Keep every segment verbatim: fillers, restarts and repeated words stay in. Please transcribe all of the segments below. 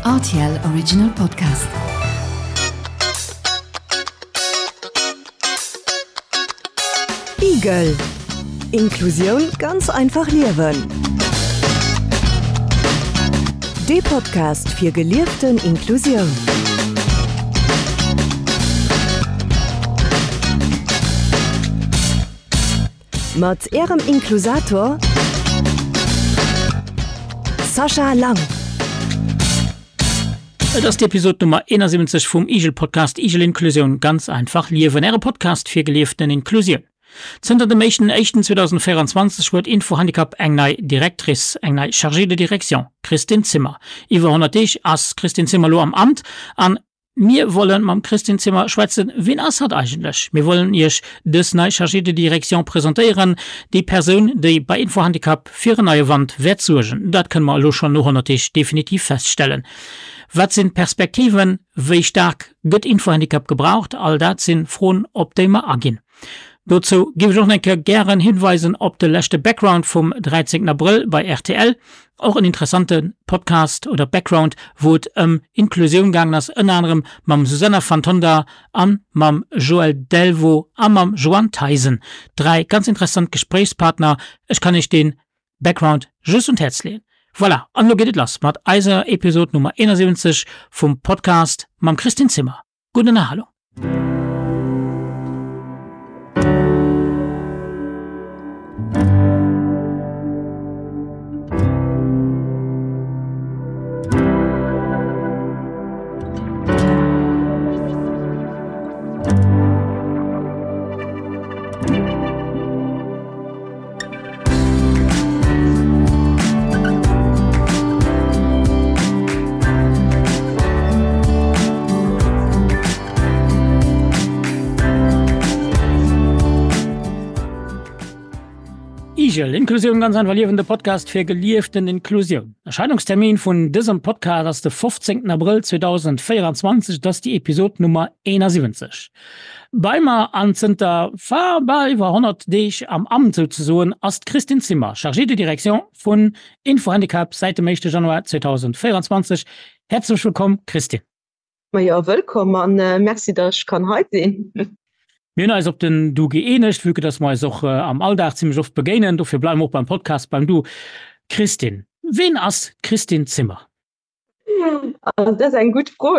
R T L Original Podcast. Igel. Inklusioun ganz einfach liewen. De Podcast fir gelieften Inklusioun. Mat Ärem Inklusator Sascha Lang. Et ass d'Episod Nummer eenasiwwenzeg vum Igel-Podcast Igel Inklusioun, ganz einfach liewen, Äre Podcast fir gelieften Inklusioun. Zënter dem éischten éischten zweedausendvéieranzwanzeg huet Info-Handicap eng nei Directrice, eng nei Chargée de direction, d'Christine Zimmer. Iwwer honnert Deeg ass d'Christine Zimmer elo am Amt an mir wollen mam Christine Zimmer schwätzen. Wien ass hatt eigentlech? Mir wollen Iech dës nei Chargée de direction presentéieren, déi Persoun, déi bei Info-Handicap fir en neie Wand wäert suergen. Dat kënne mer elo schonn no honnert Deeg definitiv feststellen. Wat sinn d'Perspektiven? Wéi staark gëtt Info-Handicap gebraucht? All dat sinn Froen, op déi mer aginn. Dozou géif ech och nach eng Kéier gären hinweisen op de leschte Background vum dräizéngten Abrëll bei R T L. Och en interessante Podcast oder Background, wou et ëm Inklusioun gaangen ass, ënner anerem mam Susanna van Tonder a mam Joël Delvaux a mam Joanne Theisen. Dräi ganz interessant Gespréichspartner. Ech kann Iech dee Background just un d'Häerz leeën. Voilà, an elo geet et lass mat eiser Episod Nummer eenasiwwenzeg vum Podcast mam Christine Zimmer. Gutt Ënnerhalung! Igel, Inklusioun ganz einfach liewen, de Podcast fir gelieften Inklusioun. Erscheinungstermin vun dësem Podcast ass de fofzéngten Abrëll zweedausendvéieranzwanzeg, et ass déi Episod Nummer eenasiwwenzeg. Bei mer an zënter bal iwwer honnert Deeg am Amt souzesoen ass d'Christine Zimmer, Chargée de direction vun Info-Handicap säit dem éischte Januar zweedausendvéieranzwanzeg. Häerzlech wëllkomm, Christine. Majo, wëllkomm an merci, datt ech kann hei sinn. Mir hunn eis op den Du gëeenegt, vue que dass mer eis och am Alldag zimmlech oft begéinen. Dofir bleiwe mer och beim Podcast beim Du. Christine, ween ass d'Christine Zimmer? Also dat ass eng gutt Fro.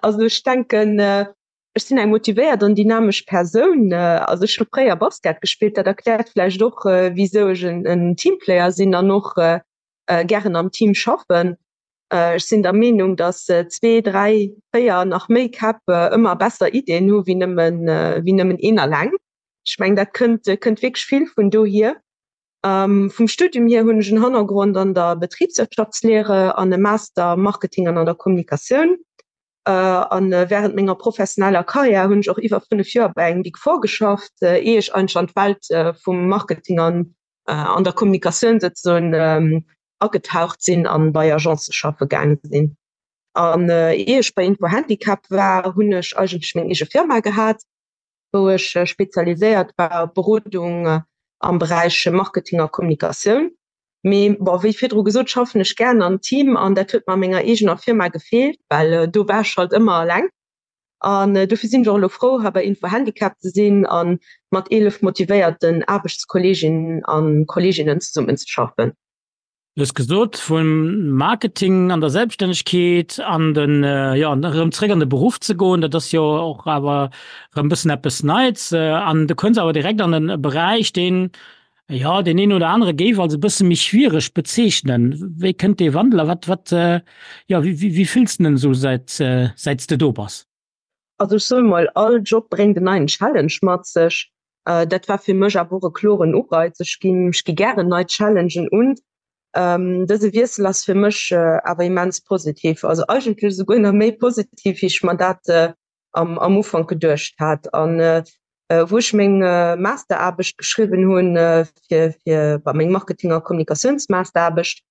Also ech denken, ech sinn eng motivéiert an dynamesch Persoun. Also ech hu fréier Basket gespillt, dat erkläert vläicht och, wisou ech en Teamplayer sinn an och gären am Team schaffen. Ech sinn der Meenung, datt zwee, dräi, véier, nach méi Käpp ëmmer besser Iddien hu wéi nëmmen, wéi nëmmen een alleng. Ech mengen, dat kënnt, kënnt wierklech vill vun dohier. Vum Studium hier hunn ech en Hannergrond an der Betriebswirtschaftslehre an e Master Marketing an an der Kommunikatioun. An während menger professioneller Karriär hunn ech och iwwer fënnef Joer bei engem Big Four geschafft, ier ech eigentlech an d'Welt vum Marketing an an der Kommunikatioun souzesoen agetaucht sinn an bei Agencë schaffe gaange sinn. An ier ech bei Info Handicap war, hunn ech eigentlech meng eege Firma gehat, wou ech spezialiséiert war op Berodung am Beräich Marketing a Kommunikatioun. Mee bon, wéi virdru gesot, schaffen ech gären am Team an dat huet mer a menger eegener Firma gefeelt, well do war ech halt ëmmer eleng. An dofir sinn ech och elo frou, hei bei Info Handicap ze sinn a mat eelef motivéierten Aarbechtskolleeginnen a Kolleeginnen zesummenzeschaffen. Du hues gesot, vum Marketing an der Selbststännegkeet an den, jo, erëm zréck an de Beruff ze goen, dat ass jo och awer erëm e bëssen eppes Neits. An du kënns awer direkt an e Beräich, deen, jo, deen een oder anere géif als e bësse méi schwiereg bezeechnen. Wéi kënnt dee Wandel a wat, wat, jo, wéi, wéi fills de den esou säit, säit s de do bass? Also ech soe mol, all Job bréngt en neien Challenge mat sech. Dat war fir mech awer och e kloren Ureiz. Ech ginn, ech gi gären nei Challengen un. Dëse Wiessel ass fir mech awer immens positiv, also eigentlech esouguer nach méi positiv, wéi ech mer dat am, am Ufank geduecht hat. An wou ech meng Masteraarbecht geschriwwen hunn, fir, fir bei meng Marketing a Kommunikatiounsmasteraarbecht,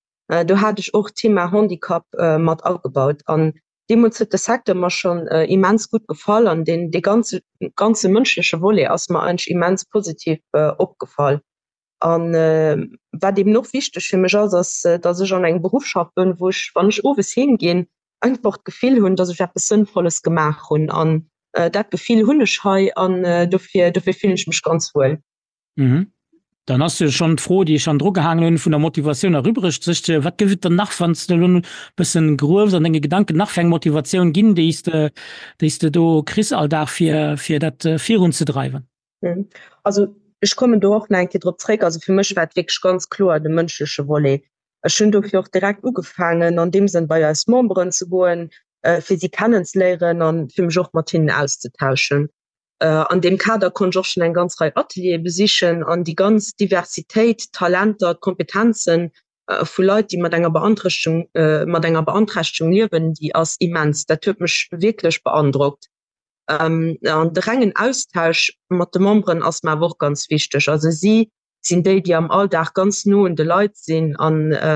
do hat ech och d'Thema Handicap mat agebaut. An deemools huet de Secteur mer schonn immens gutt gefall an deen, dee ganze, ganze mënschleche Volet ass mer eigentlech immens positiv opgefall. An wat eben och wichteg fir mech ass, ass, datt ech an engem Beruff schaffen, wou ech, wann ech owes heem ginn, einfach d'Gefill hunn, dass ech eppes Sënnvolles gemaach hunn. An dat Gefill hunn ech hei an dofir, dofir fillen ech mech ganz wuel. Mhm. Dann ass jo schonn d'Fro, déi ech hannendru gehaangen hunn, vun der Motivatioun erübregt sech. Wat gëff et dann nach, wann s de elo e bëssen gruefs an denge Gedanken, nach fir eng Motivatioun ginn, déi s de, déi s de do kriss all Dag, fir, fir dat virunzedreiwen? Also ech kommen do och nach eng Kéier drop zréck. Also fir mech war et wierklech ganz kloer de mënschleche Volet. Ech hunn dofir och direkt ugefaangen, an deem Sënn bei eis Memberen ze goen, fir si kennenzeléieren an fir mech och mat hinnen auszetauschen. An deem Kader konnt ech och schonn eng ganz Rei Ateliere besichen an déi ganz Diversitéit, d'Talenter, d'Kompetenzen vu Leit, déi mat enger Beanträchtegung, mat enger Beanträchtegung liewen, déi ass immens. Dat huet mech wierklech beandrockt. An de rengen Austausch mat de Memberen ass mer awer och ganz wichteg. Also si sinn déi, déi am Alldag ganz no un de Leit sinn a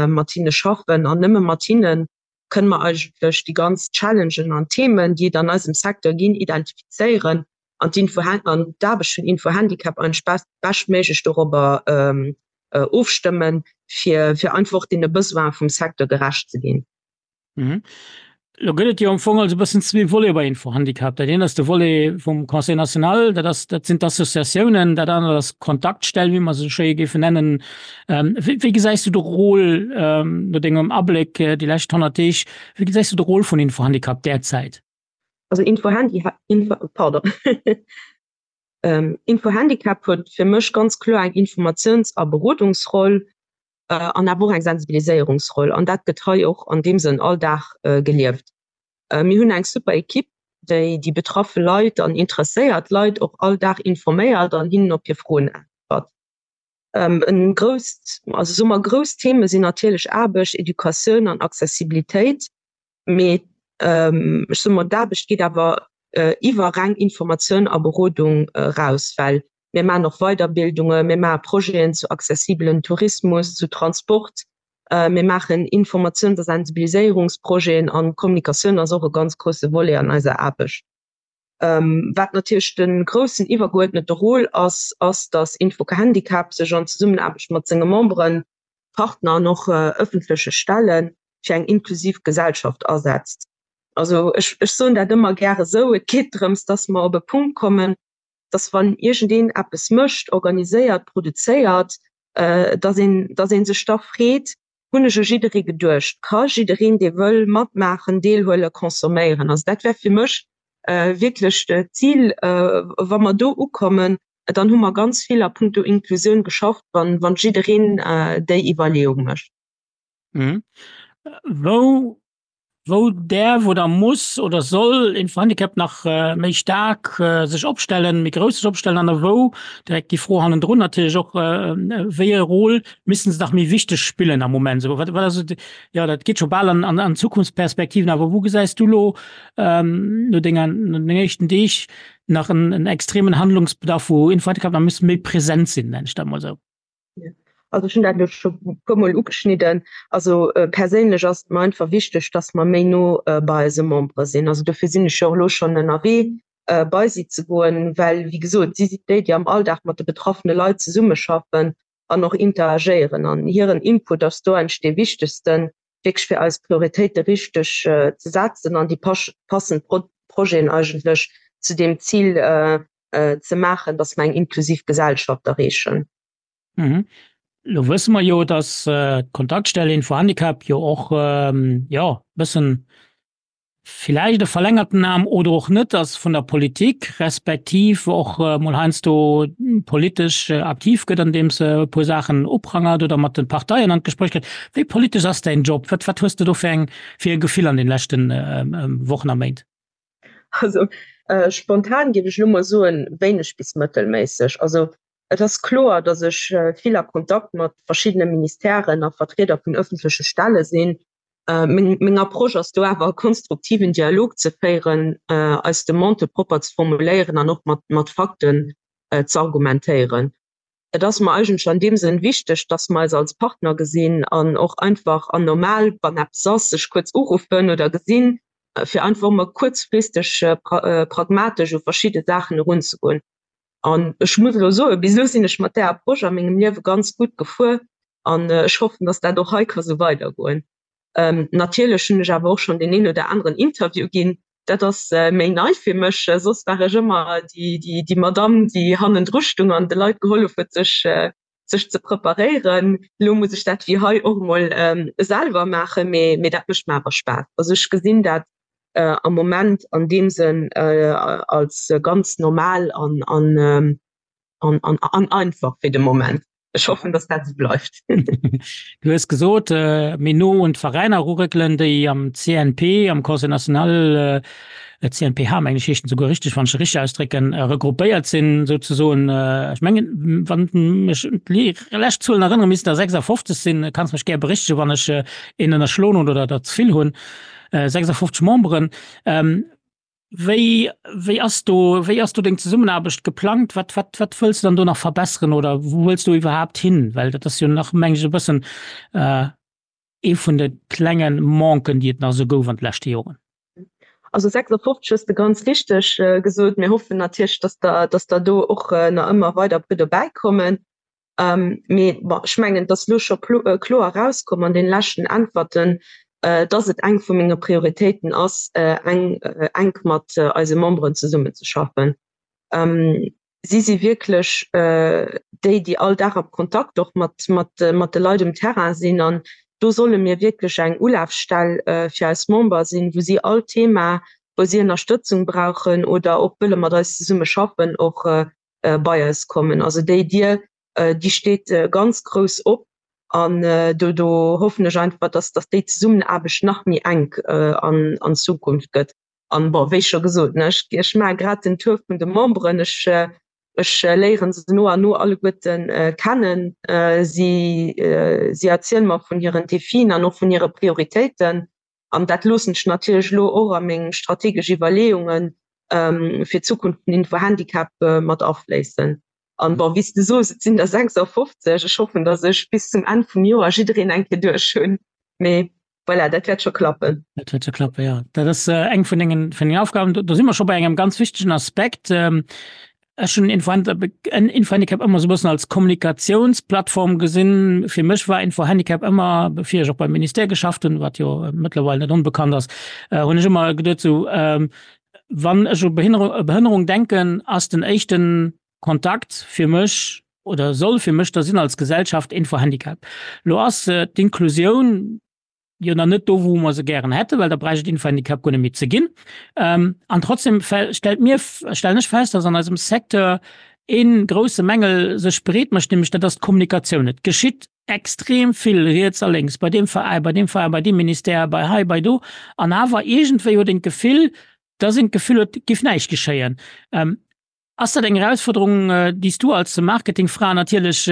mat hinne schaffen an nëmme mat hinne kënne mer eigentlech déi ganz Challengen an Themen, déi et an eisem Secteur ginn, identifizéieren an d'Info an d'Aarbecht vun Info-Handicap eigentlech beschtméiglech dorobber ofstëmmen, fir fir einfach och deene Besoine vum Secteur gerecht ze ginn. Mhm. Lo gëtt et jo am Fong also e bëssen zwee Volete bei Info-Handicap. Dat eent ass de Volet vum Conseil national, dat ass, dat sinn d'Associatiounen, dat anert ass d'Kontaktstell, wéi mer se schéi géifen nennen. Ähm, wéi, wéi gesäis du de Rôle, ähm, no dengem Abléck déi lescht honnert Deeg, wéi gesäis du de Rôle vun Info-Handicap derzäit? Also Info-Handi, Info, pardon. ähm, Info-Handicap huet fir mech ganz kloer eng Informatiouns a Berodungsroll. an awer och eng Sensibiliséierungsroll an dat gëtt hei och an deem Sënn all Dag gelieft. Mir hunn eng super Equipe, déi déi betraffe Leit an interesséiert Leit och all Dag informéiert an hinnen op hir Froen äntwert. En grousst, also soe mer grouss Theme sinn natierlech Aarbecht, Educatioun an Accessibilitéit, mee ech soe mol d'Aarbecht geet awer iwwer reng Informatioun a Berodung eraus, well mir maachen och Weiderbildungen, mir maache Projeten zu accessibelen Tourismus, zu Transport, mir maachen Informatiouns a Sensibiliséierungsprojeten an Kommunikatioun ass och e ganz grousse Volet an eiser Aarbecht. Wat natierlech de groussen iwwergeuerdnete Rôle ass, ass, datt Info-Handicap sech an Zesummenaarbecht mat senge Memberen, Partner an och ëffentleche Stelle fir eng inklusiv Gesellschaft asetzt. Also ech, ech soen dat ëmmer gäre sou, et geet drëms, datt mer op e Punkt kommen, datt wann iergendeen eppes mécht, organiséiert, produzéiert, datt een, datt ee sech da freet, Hunn ech u jidderee geduecht? Ka jiddereen, dee wëll matmaachen, deelhuelen, consomméieren? Also dat wär fir mech wierklech d'Zil. Wa mer do ukommen, dann hu mer ganz vill a puncto Inklusioun geschafft, wann, wann jiddereen déi Iwwerleeung mécht. Wou wou däerf oder muss oder soll Info-Handicap nach méi staark sech opstellen, méi grouss sech opstellen an a wou, direkt déi Fro hannendrun natierlech och, wéi e Rôle missten se nach méi wichteg spillen am Moment? Esou wat wat ass et, jo dat geet scho bal an an Zukunftsperspektiven, awer wou gesäis du elo no denger no dengen éischten Deeg nach en en extremen Handlungsbedarf, wou Info-Handicap nach misst méi present sinn, nennen ech dat emol esou? Also ech hunn dat elo scho e puermol ugeschnidden. Also perséinlech ass et mer einfach wichteg, dass mer méi no bei eise Membere sinn. Also dofir sinn ech jo och elo schonn ënnerwee bei si ze goen, well wéi gesot, si sinn déi, déi am Alldag mat de betraffene Leit zesummeschaffen an och interagéieren. An hiren Input ass do eigentlech dee wichtegsten, wierklech fir eis Prioritéite richteg ze setzen an déi passend Projeten eigentlech zu deem Zil ze maachen, dass mer eng inklusiv Gesellschaft erreechen. Mhm. Lo wësse mer jo, dass d'Kontaktstell Info-Handicap jo och, jo, e bëssen villäicht e verlängerten Aarm oder och net ass vun der Politik, respektiv och mol heiansdo politesch aktiv gëtt, andeems se e puer Saachen uprangert oder mat de Parteien an d'Gespréich kënnt. Wéi politesch ass däin Job? Wat, wat hues de do fir eng, fir e Gefill an den leschte Wochen a Méint? Also spontan géif ech elo mol soen, wéineg bis mëttelméisseg. Also Et ass kloer, datt ech vill a Kontakt mat verschiddene Ministèren a Vertrieder vun ëffentleche Stelle sinn. Meng Approche ass do awer e konstruktiven Dialog ze féieren, eis Demandë propper ze formuléieren an och mat Fakten ze argumentéieren. Et ass mer eigentlech an deem Sënn wichteg, datt mer eis als Partner gesinn an och einfach an normal, wann eppes ass, sech kuerz uruffen oder gesinn, fir einfach emol kuerzfristeg pragmatesch u verschidde Saachen erunzegoen. An ech muss elo soen, bis elo sinn ech mat där Approche a mengem Liewe ganz gutt gefuer an ech hoffen, dass dat och hei ka sou weidergoen. Natierlech hunn ech awer och schonn deen een oder aneren Interview ginn. Dat ass méi nei fir mech. Soss war ech ëmmer déi, déi, déi Madamm, déi hannendru stung an de Leit gehollef huet, sech, sech ze preparéieren. Elo muss ech dat wéi hei och emol selwer maachen, mee, mee dat mécht mer awer Spaass. Also ech gesinn dat am Moment an deem Sënn als ganz normal an, an, an, an, an einfach fir de Moment. Ech hoffen, dass dat esou bleift. Du hues gesot, méi no un d'Veräiner eruréckelen, déi am C N P, am Conseil national, C N P H mengen ech heescht en souguer richteg, wann ech e richteg ausdrécken, regroupéiert sinn souzesoen. Ech mengen, wann mech déi lescht Zuelen erënneren, missten der sechsafofzeg sinn. Kanns mech gär berichtegen, wann ech een ënnerschloen hunn oder der ze vill hunn. sechsafofzeg Memberen. Wéi, wéi ass do, wéi ass do deng Zesummenaarbecht geplangt? Wat, wat, wat wëlls du dann do nach verbesseren oder wou wëlls du iwwerhaapt hin? Well dat ass jo nach, meng ech, e bëssen ee vun de klenge Manquen, déi et nach esou gouf an de leschte Joren. Also sechsafofzeg hues de ganz richteg gesot. Mir hoffen natierlech, dass der, dass der do och nach ëmmer weider puer dobäikommen. Mee bon, ech mengen, et ass elo scho kloer erauskomm an deene leschten Äntwerten, dass et eng vu menge Prioritéiten ass, eng enk mat eise Memberen zesummenzeschaffen. Si si wierklech déi, déi all Dag am Kontakt och mat, mat, mat de Leit um Terrain sinn. An do solle mir wierklech eng Ulafstell fir eis Member sinn, wou si all Thema, wou si Ënnerstëtzung brauchen oder och wëlle mat eis zesumme schaffen, och bei eis kommen. Also déi Dier, déi steet ganz grouss op. An do, do hoffen ech einfach, dass, dass déi Zesummenaarbecht nach méi enk an, an Zukunft gëtt. An bon, wéi scho gesot, ne, ech, ech maache grad den Tour vun de Memberen, ech, ech léieren se no an no alleguerten kennen. Si, si erziele mer vun hiren Defien an och vun hire Prioritéiten. An dat loossen ech natierlech elo och a meng strategesch Iwwerleeungen fir d'Zukunft vun Info-Handicap mat afléissen. An bon, wéi s de soos, et sinn der sechsafofzeg. Ech hoffen, datt ech bis zum Enn vum Joer jiddereen eng Kéier duerch hunn. Mee voilà, dat wäert scho klappen. Dat wäert scho klappen, jo. Dat ass eng vun dengen, vun dengen Aufgaben. Do si mer scho bei engem ganz wichtegen Aspekt. Ech hunn Info-Handicap ëmmer esou e bëssen als Kommunikatiounsplattform gesinn. Fir mech war Info-Handicap ëmmer, bevir ech och beim Ministère geschafft hunn, wat jo mëttlerweil net onbekannt ass, hunn ech ëmmer geduet esou, wann ech u Behënnerung denken, ass den éischten Kontakt fir mech oder soll fir mech da sinn als Gesellschaft Info-Handicap. Lo ass d'Inklusioun jo nach net do, wou mer se gären hätten, well da bräicht et Info-Handicap guer net méi ze ginn. An trotzdem stellt mir, stellen ech fest, dass an eisem Secteur ee grousse Mängel sech breet mécht, nämlech dat ass d'Kommunikatioun. Et geschitt extrem vill riets a lénks, bei deem Veräin, bei deem Veräin, bei deem Ministère, bei hei, bei do, an awer iergendwéi huet een d'Gefill, dass een d'Gefill huet, et géif näischt geschéien. Ass dat eng Erausfuerderung, déi s du als Marketingfra natierlech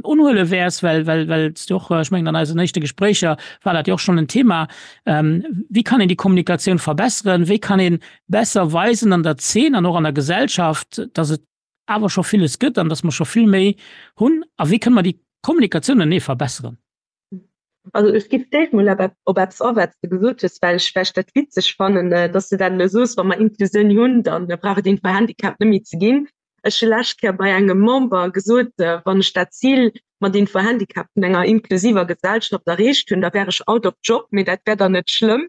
unhuele wäers, well well well s du och, ech mengen an eisen éischte Gespréicher war dat jo och schonn en Thema, wéi kann een déi Kommunikatioun verbesseren, wéi kann ee besser weisen an der Zeen an och an der Gesellschaft, datt et awer scho villes gëtt an datt mer scho vill méi hunn a wéi kënne mer déi Kommunikatioun ënnee verbesseren? Also ech géif d'éischt mol op eppes a wat s de gesot hues, well ech well ech dat witzeg fannen, dass de dat elo soos, wa mer Inklusioun hunn, da brauch et Info-Handicap net méi ze ginn. Ech hu lescht Kéier bei engem Member gesot, wann ech dat Zil mat Info-Handicap vun enger inklusiver Gesellschaft erreecht hunn, da wär ech out of job, mee dat wär dann net schlëmm.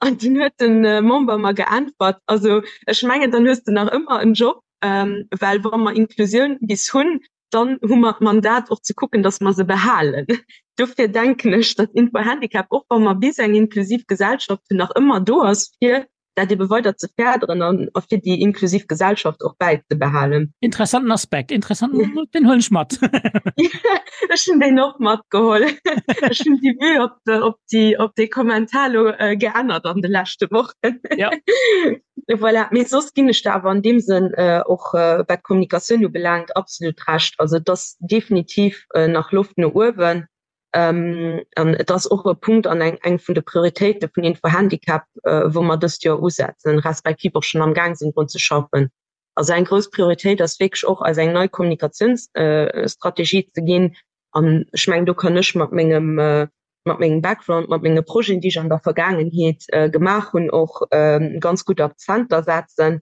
An dunn huet de Member mer geäntwert, also ech mengen, dann hues de nach ëmmer en Job, well wa mer Inklusioun bis hunn, dann hu mer d'Mandat och ze kucken, dass mer se behalen. Dofir denken ech, datt Info-Handicap, och wa mer bis eng inklusiv Gesellschaft hunn, nach ëmmer do ass, fir dat ebe weider ze férderen an a fir déi inklusiv Gesellschaft och bäizebehalen. Interessanten Aspekt, interessanten, deen huelen ech mat. Ech hunn deen och matgeholl. Ech hunn déi Vue op, op déi, op dee Kommentar elo geännert an de leschte Wochen. Ja. Voilà, mee soss ginn ech der awer an deem Sënn och wat d'Kommunikatioun ubelaangt absolut Recht. Also et ass definitiv nach Loft no uewen an et ass och e Punkt an eng eng vun de Prioritéite vun Info-Handicap, wou mer dëst Joer usetzen, respektiv och schonn am Gaang sinn drun ze schaffen. Also eng grouss Prioritéit ass wierklech och eis eng nei Kommunikatiounsstrategie ze ginn an ech mengen do kann ech mat mengem mat mengem Background, mat menge Projeten, déi ech an der Vergaangenheet gemaach hunn, och ganz gutt Akzenter setzen.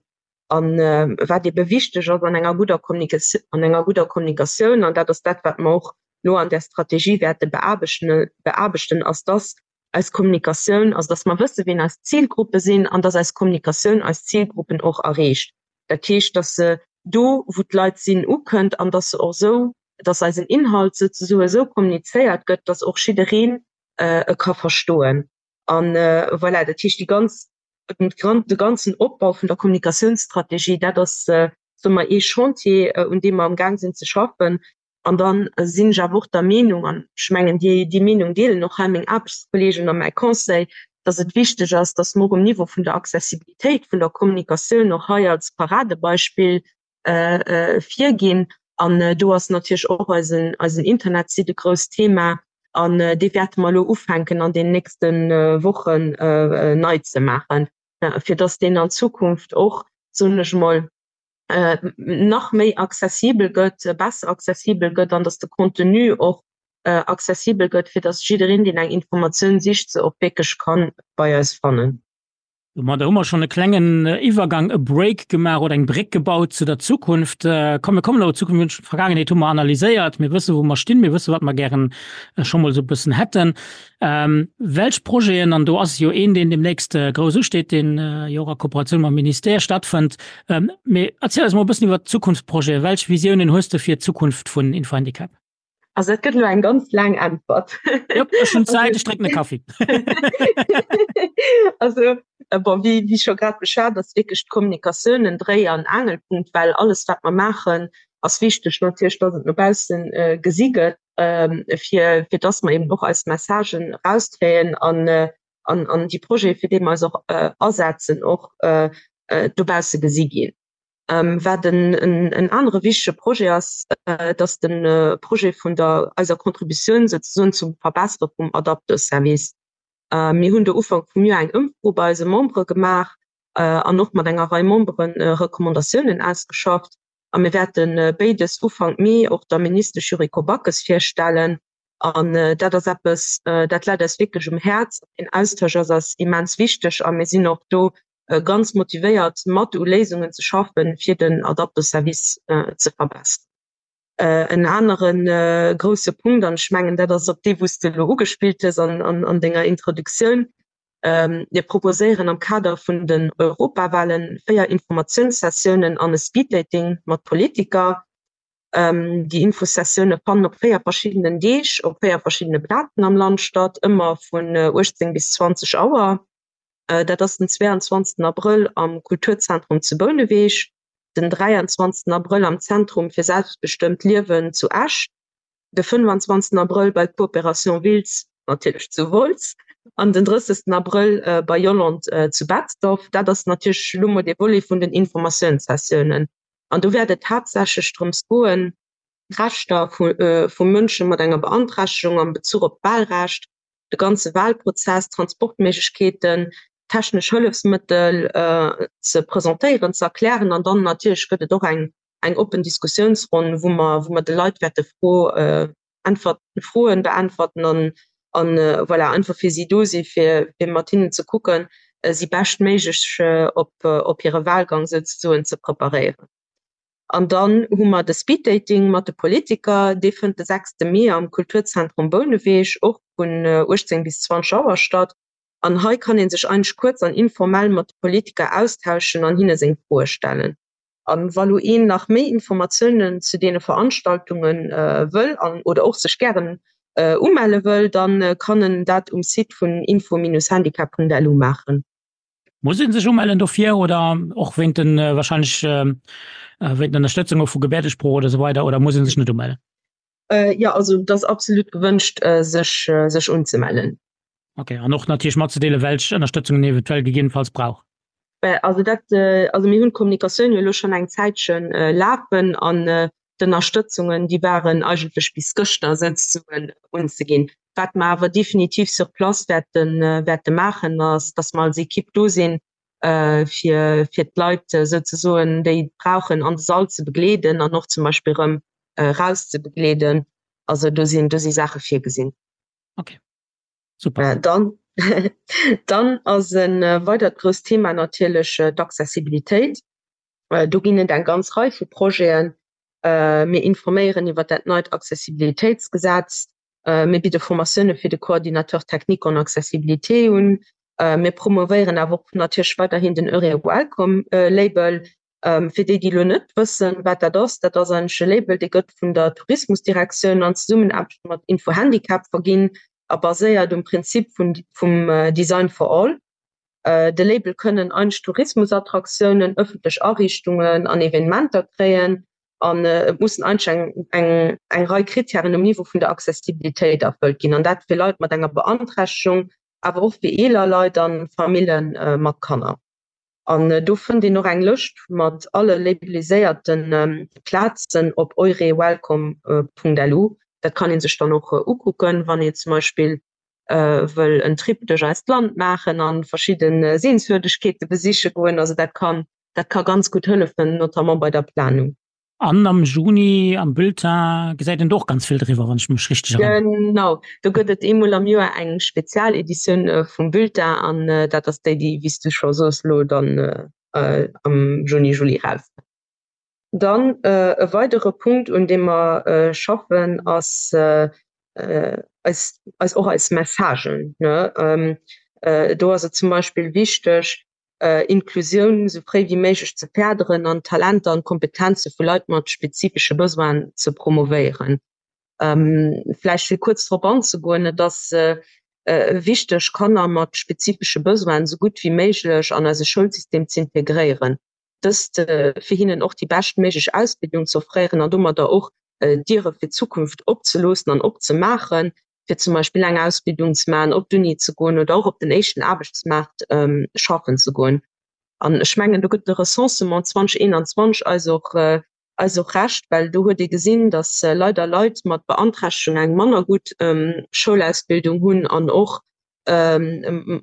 An wat ebe wichteg ass an enger gudder Kommunikatioun, an enger gudder Kommunikatioun, an dat ass dat, wat mer och elo an där Strategie wäerte beaarbechten, beaarbechten, ass, dass eis Kommunikatioun, also dass mer wësse wien eis Zilgruppe sinn an dass eis Kommunikatioun eis Zilgruppen och erreecht. Dat heescht, dass se do wou d'Leit sinn ukënnt an dass se och esou, dass eisen Inhalt souzesoe esou kommunizéiert gëtt, dass och jiddereen e ka verstoen. An voilà, dat heescht déi ganz, de ganzen Opbau vun der Kommunikatiounsstrategie, dat ass, soe mer, ee Chantier, un deem mer amgaang sinn ze schaffen. An da sinn ech awer och der Meenung, an ech mengen, déi, déi Meenung deelen och hei meng Aarbechtskolleegen a mäi Conseil, dass et wichteg ass, dass mer och um Niveau vun der Accessibilitéit vun der Kommunikatioun och hei als Paradebeispill virginn. An do ass natierlech och eisen, eisen Internetsite e grousst Thema. An dee wäerte mer elo ufänken an den nächste Wochen nei ze maachen, fir dass deen an Zukunft och, soen ech emol, nach méi accessibel gëtt, besser accessibel gëtt an dass de Contenu och accessibel gëtt, fir dass jiddereen, deen eng Informatioun sicht, se och wierklech ka bei eis fannen. Domadder hu mer schonn e klengen Iwwergang, e Break gemaach oder eng Bréck gebaut zu der Zukunft. Komm, mir kommen elo zur Zukunft. D'Vergaangenheet hu mer analyséiert. Mir wësse wou mer stinn. Mir wësse wat mer gären scho mol esou e bëssen hätten. Welch Projeten, an do ass jo een, deen deemnächst grouss usteet, deen jo och a Kooperatioun mam Ministère stattfënnt. Mee erziel eis mol e bëssen iwwert d'Zukunftsprojeten. Welch Visiounen hues de fir d'Zukunft vun Infohandicap? Also dat gëtt elo eng ganz laang Äntwert. Jop, ech hunn Zäit, ech drénken e Kaffi. Also bon, wéi, wéi scho grad beschwat, ass wierklech d'Kommunikatioun en Dréi an Aangelpunkt, well alles wat mer maachen, ass wichteg natierlech, dass et no bausse gesi gëtt, fir, fir dass mer eben och eis Messagen erauskréien an, an, an déi Projete, fir déi mer eis och asetzen, och dobausse gesi ginn. Wat en anere wichtege Projet ass, dat ass de Projet vun der eiser Contributioun souzesoen zum Verbessere vum Adapto-Service. Mir hunn do Ufank vum Joer eng Ëmfro bei eise Membere gemaach an och mat enger Rei Membere Recommandatiounen ausgeschafft. A mir wäerte béides Ufank Mee och der Ministesch Yuriko Backes virstellen. An dat ass eppes, dat läit eis wierklech um Häerz. Deen Austausch ass eis immens wichteg a mir sinn och do ganz motivéiert mat u Léisungen ze schaffen, fir den Adapto-Service ze verbesseren. En anere grousse Punkt, an ech mengen dat ass op dee wou s de elo ugespillt hues an denger Introduktioun, Mir proposéieren am Kader vun den Europawahlen véier Informatiounssessiounen an e Speeddating mat Politiker. Déi Infosessioune fannen op véier verschiddenen Deeg op véier verschiddene Plazen am Land statt, ëmmer vun uechtzéng bis zwanzeg Auer. Dat ass den zweianzwanzegsten Abrëll am Kulturzentrum zu Bouneweg, den dräianzwanzegsten Abrëll am Zentrum fir selbstbestëmmt Liewen zu Esch, de fënnefanzwanzegsten Abrëll bei Coopération Wiltz, natierlech zu Wolz, an den drëssegsten Abrëll bei Yolande zu Betzdorf. Dat ass natierlech elo mol dee Volet vun den Informatiounssessiounen. An do wäert et haaptsächlech drëms goen, d'Rechter vu Mënsche mat enger Beanträchtegung am Bezuch op d'Wahlrecht, de ganze Wahlprozess, Transportméiglechkeeten, technesch Hëllefsmëttel ze presentéieren, ze erklären. An dann natierlech gëtt et och eng eng oppen Diskussiounsronn, wou mer wou mer de Leit wäerte Fro äntwert Froen beäntwerten an an voilà, einfach fir si do si fir fir mat hinnen ze kucken, si beschtméiglech op op hire Wahlgang souzesoen ze preparéieren. An dann hu mer de Speeddating mat de Politiker, dee fënnt de sechste Mee am Kulturzentrum Bouneweg och vun uechtzéng bis zwanzeg Auer statt. An hei kann ee sech eigentlech kuerz an informell mat de Politiker austauschen an hinne seng Froe stellen. A wa lo een nach méi Informatiounen zu deene Veranstaltunge wëll an oder och sech gären umelle wëll, da kann en dat um Site vun info-handicap.lu maachen. Muss ee sech umellen dofir oder och wéint den wahrscheinlech wéint den Ënnerstëtzunge vu Gebäerdesprooch oder esou weider oder muss ee sech net umellen? Jo, also et ass absolut gewënscht sech sech unzemellen. Ok, an och natierlech matzedeelen, welch Ënnerstëtzung een eventuell gegebenenfalls brauch. Also dat, also mir hunn d'Kommunikatioun jo elo schonn eng Zäitche lafen an d'Ënnerstëtzungen, déi waren eigentlech bis gëschter souzesoen unzeginn. Wat mer awer definitiv sur place wäerte wäerte maachen, ass, dass mer als Equipe do sinn, fir fir d'Leit souzesoen, déi et brauchen, an de Sall ze begleeden an och zum Beispill erëm eraus ze begleeden. Also do sinn do si Saache virgesinn. Okay. Super. Dann dann ass e weidert grousst Thema natierlech d'Accessibilitéit. Do ginn et eng ganz Rei vu Projeten. Mir informéieren iwwer dat neit Accessibilitéitsgesetz. Mir bidde Formatioune fir de Coordinateur technique en accessibilité un. Mir promovéieren awer och natierlech weiderhin den Eure-Welcome Label. Fir déi, déi elo net wëssen, wat dat ass, dat ass eigentlech e Label, dee gëtt vun der Tourismusdirektioun an Zesummenaarbecht mat Info-Handicap verginn a baséiert um Prinzip vum Design for All. De Label kënnen eigentlech Tourismusattraktiounen, ëffentlech Ariichtungen an Evenementer kréien an et mussen eigentlech eng eng Rei Krittären um Niveau vun der Accessibilitéit erfëllt ginn, an dat fir Leit mat enger Beanträchtegung, awer och fir eeler Leit a Famille mat Kanner. An do fënnt een och eng Lëscht mat alle labeliséierte Plazen op eurewelcome.lu. Dat kann ee sech dann och ukucken, wann een zum Beispill wëll en Trip duerch eist Land maachen an verschidde Sehenswürdegkeete besiche goen. Also dat kann, dat ka ganz gutt hëllefen, notamment bei der Planung. An am Juni am Bulletin gesäit een do och ganz vill driwwer, wann ech mech richteg erënneren. Genau, do gëtt et eemol am Joer eng Spezialeditioun vum Bulletin an dat ass déi, déi, wéi s du scho soos, elo dann am Juni, Juli erauskënnt. Dann e weidere Punkt, un deem mer schaffen, ass eis, eis och eis Messagen. Do ass et zum Beispill wichteg, Inklusioun esou fréi wéi méiglech ze férderen an d'Talenter an d'Kompetenze vu Leit mat spezifesche Besoinen ze promovéieren. Vläicht fir kuerz drop anzegoen, et ass wichteg, Kanner mat spezifesche Besoinen esou gutt wéi méiglech an eise Schoulsystem ze integréieren. Dëst fir hinnen och déi beschtméiglech Ausbildung ze offréieren an domadder och Diere fir d'Zukunft opzeloossen an opzemaachen, fir zum Beispill eng Ausbildung ze maachen, op d'Uni ze goen oder och op den éischten Aarbechtsmaart schaffen ze goen. An ech mengen, do gëtt de Recensement zweedausendeenanzwanzeg eis och eis och Recht, well do huet ee gesinn, datt leider Leit mat Beanträchtegung eng manner gutt Schoulausbildung hunn an och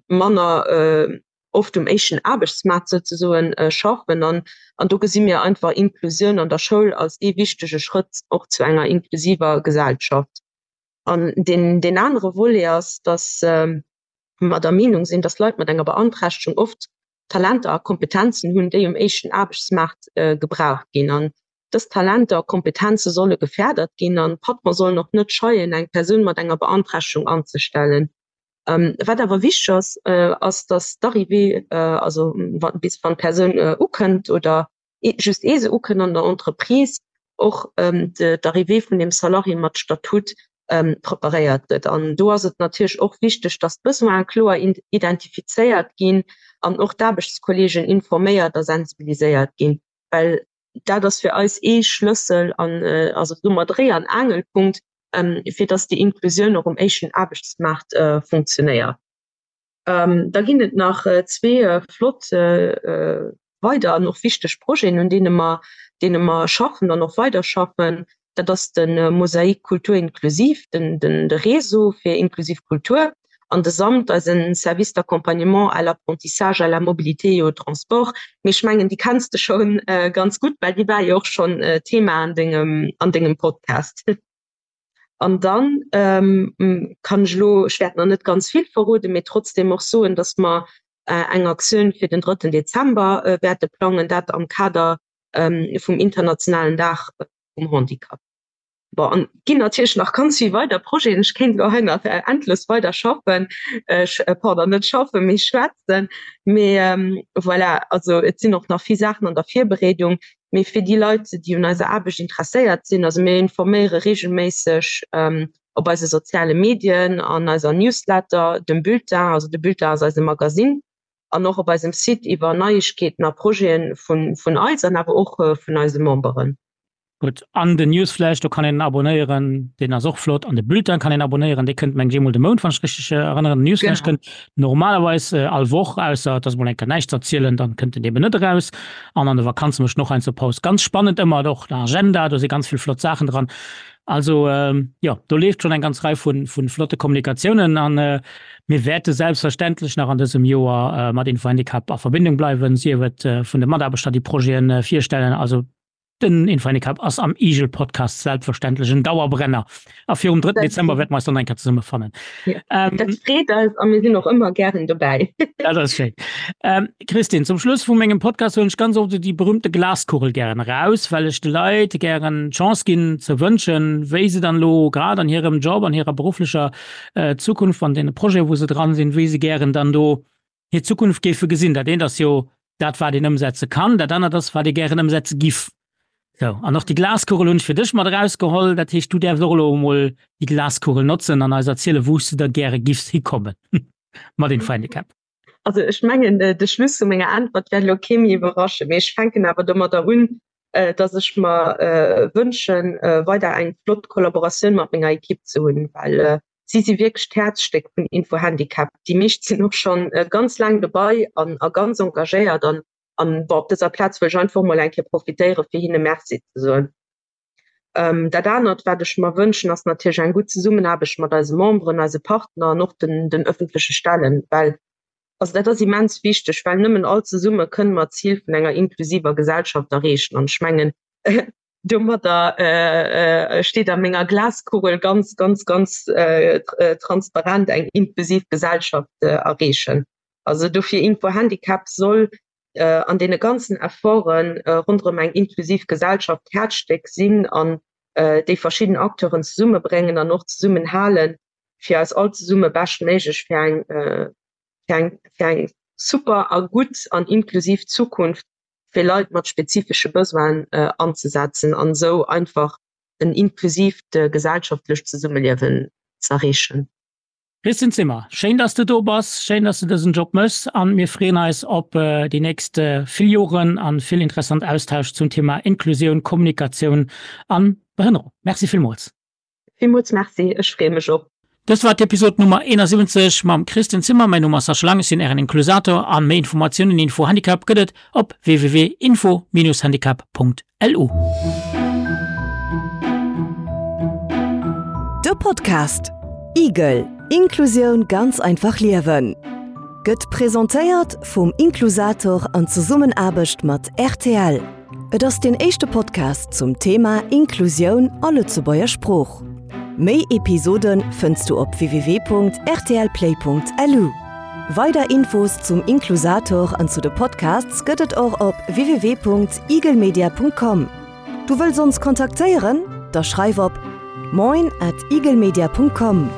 manner oft um éischten Aarbechtsmaart souzesoen schaffen. An an do gesi mir einfach Inklusioun an der Schoul als ee wichtege Schrëtt och zu enger inklusiver Gesellschaft. An deen deen anere Volet ass, datt mer der Meenung sinn, datt Leit mat enger Beanträchtegung oft Talenter a Kompetenzen hunn, déi um éischten Aarbechtsmaart gebraucht ginn. An dës Talenter a Kompetenze solle gefärdert ginn an d'Patrone sollen och net scheien, eng Persoun mat enger Beanträchtegung anzestellen. Wat awer wichteg ass, ass, datt d'Arrivée, also bis wann d'Persoun ukënnt oder just ee se ukënnt an der Entreprise, och d'Arrivée vun deem Salarié mat Statut preparéiert gëtt. An do ass et natierlech och wichteg, datt d'Besoine kloer identifizéiert ginn an och d'Aarbechtskolleegen informéiert a sensibiliséiert ginn, well dat ass fir eis ee Schlëssel an also domat Dréi an Aangelpunkt, fir datt déi Inklusioun och um éischten Aarbechtsmaart funktionéiert. Da ginn et nach zwee flott weider an och wichteg Projeten, un deene mer, deene mer schaffen an och weiderschaffen. Dat ass de Mosaik Kultur inklusiv, den, den, de Réseau fir inklusiv Kultur an de SAMT, eisen Service d'accompagnement à l'apprentissage, à la mobilité et au transport. Mee ech mengen, déi kenns de scho ganz gutt, well déi war jo och schonn Thema an dengem, an dengem Podcast. An dann kann ech elo, ech wäert nach net ganz vill verroden, mee trotzdem och soen, dass mer eng Aktioun fir den drëtten Dezember wäerte plangen, dat am Kader vum internationalen Dag vum Handicap. Bon, an et ginn natierlech nach ganz vill weider Projeten. Ech kéint elo hei nach endlos weider schaffen, pardon, net schaffen, mee schwätzen. Mee voilà, also et sinn och nach vill Saachen an der Virbereedung. Mee fir déi Leit, déi un eiser Aarbecht interesséiert sinn, also mir informéiere reegelméisseg op eise soziale Medien, an eiser Newsletter, dem Bulletin, also de Bulletin ass eise Magasinn, an och op eisem Site iwwer Neiegkeeten a Projete vun eis an awer och vun eise Memberen. Gutt, an den Newsflash, do kann een abonéieren, deen ass och flott. An de Bulletin kann een abonéieren, dee kënnt, mengen ech, eemol de Mount, wann ech richteg erënneren. Den Newsflash kënnt normalerweis all Woch, ausser et ass emol eng Kéier näischt ze erzielen, dann kënnt en eben net eraus. An an de Vakanze mécht en och heiansdo Paus. Ganz spannend ëmmer och den Agenda, do si ganz vill flott Saachen dran. Also jo, do leeft schonn eng ganz Rei vu flotte Kommunikatiounen a mir wäerte selbstverständlech nach an dësem Joer mat Info Handicap a Verbindung bleiwen, sief et vun de Mataarbechter, déi Projete virstellen. Also Den Infohandicap ass am Igel Podcast selbstverständlech en Dauerbrenner. A virum drëtten Dezember wäerte mer eis dann eng Kéier zesummefannen. Ja, ähm, dat freet eis a mir sinn och ëmmer gären dobäi. Dat ass schéin. Ähm, Christine, zum Schluss vu mengem Podcast huelen ech ganz oft déi berühmte Glaskugel gären eraus, well ech de Leit gären d'Chance ginn ze wënschen, wéi se dann elo grad an hirem Job, an hirer berufflecher äh, Zukunft, an deene Projeten, wou se dran sinn, wéi se gären dann do hir Zukunft géife gesinn. Dat eent ass jo dat, wat een ëmsetze kann, dat anert ass, wat ee gären ëmsetze giff. Sou, an och déi Glaskugel hunn ech fir dech mat erausgeholl. Dat heescht, du däerfs och elo emol déi Glaskugel notzen an eis erzielen, wou s de da gäre giffs hikommen mat Infohandicap. Also ech mengen, de Schluss vu menger Äntwert wäert elo kee méi iwwerraschen, mee ech fänken awer domadder un, dass ech mer wënschen, weider eng flott Kollaboratioun mat menger Ekipp ze hunn, well si si wierklech d'Häerzstéck vun Infohandicap. Déi meescht sinn och schonn ganz laang dobei an a ganz engagéiert an an bon, op dëser Plaz wëll ech einfach mol eng Kéier profitéiere fir hinne Merci ze soen. Dat anert, wat ech mer wënschen, ass natierlech eng gutt Zesummenaarbecht mat eise Memberen, eise Partner an och den den ëffentleche Stellen, well also dat ass immens wichteg, well nëmmen all zesumme kënne mer d'Zil vun enger inklusiver Gesellschaft erreechen. An ech mengen, Domadder steet a menger Glaskugel ganz, ganz, ganz transparent eng inklusiv Gesellschaft erreechen. Also dofir Info-Handicap soll an deene ganzen Efforte ronderëm eng inklusiv Gesellschaft d'Häerzstéck sinn an déi verschidden Acteuren zesummebréngen an och zesummenhalen, fir eis all zesumme beschtméiglech fir eng, fir eng, fir eng super a gutt an inklusiv Zukunft fir Leit mat spezifesche Besoinen anzesetzen an esou einfach en inklusiivt gesellschaftlecht Zesummeliewen z'erreechen. Christine Zimmer, schéin dass de do bass, schéin dass de dësen Job méchs an mir freeën eis op déi nächst vill Joren an vill interessant Austausch zum Thema Inklusioun, Kommunikatioun an Behënnerung. Merci villmools. Villmools Merci, ech freeë mech och. Dëst war d'Episod Nummer eenansiwwenzeg mam Christine Zimmer. Mäin Numm ass Sascha Lang, ech sinn Ären Inklusator an méi Informatiounen info Handicap gëtt et op www.info-handicap.lu. De Podcast Igel, Inklusioun ganz einfach liewen gëtt presentéiert vum Inklusator an Zesummenaarbecht mat rtl. Et ass deen éischte Podcast zum Thema Inklusioun a Lëtzebuerger Sprooch. Méi Episode fënns du op www.rtlplay.lu. Weider Infos zum Inklusator an zu de Podcasts gëtt et och op www.igelmedia.com. Du wëlls ons kontaktéieren? Da schreif op moin at igelmedia.com.